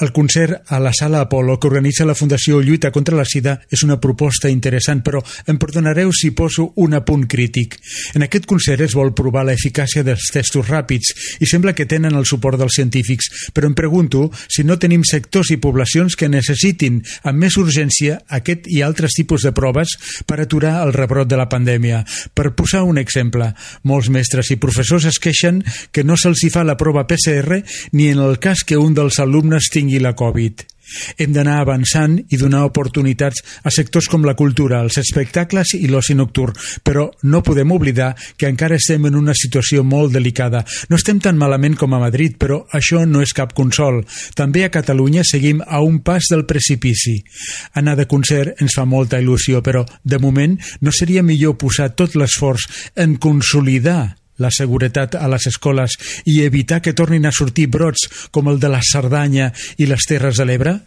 El concert a la Sala Apolo que organitza la Fundació Lluita contra la Sida és una proposta interessant, però em perdonareu si poso un apunt crític. En aquest concert es vol provar l'eficàcia dels testos ràpids i sembla que tenen el suport dels científics, però em pregunto si no tenim sectors i poblacions que necessitin amb més urgència aquest i altres tipus de proves per aturar el rebrot de la pandèmia. Per posar un exemple, molts mestres i professors es queixen que no se'ls hi fa la prova PCR ni en el cas que un dels alumnes tingui la Covid. Hem d'anar avançant i donar oportunitats a sectors com la cultura, els espectacles i l'oci nocturn, però no podem oblidar que encara estem en una situació molt delicada. No estem tan malament com a Madrid, però això no és cap consol. També a Catalunya seguim a un pas del precipici. Anar de concert ens fa molta il·lusió, però de moment no seria millor posar tot l'esforç en consolidar la seguretat a les escoles i evitar que tornin a sortir brots com el de la Cerdanya i les Terres de l'Ebre?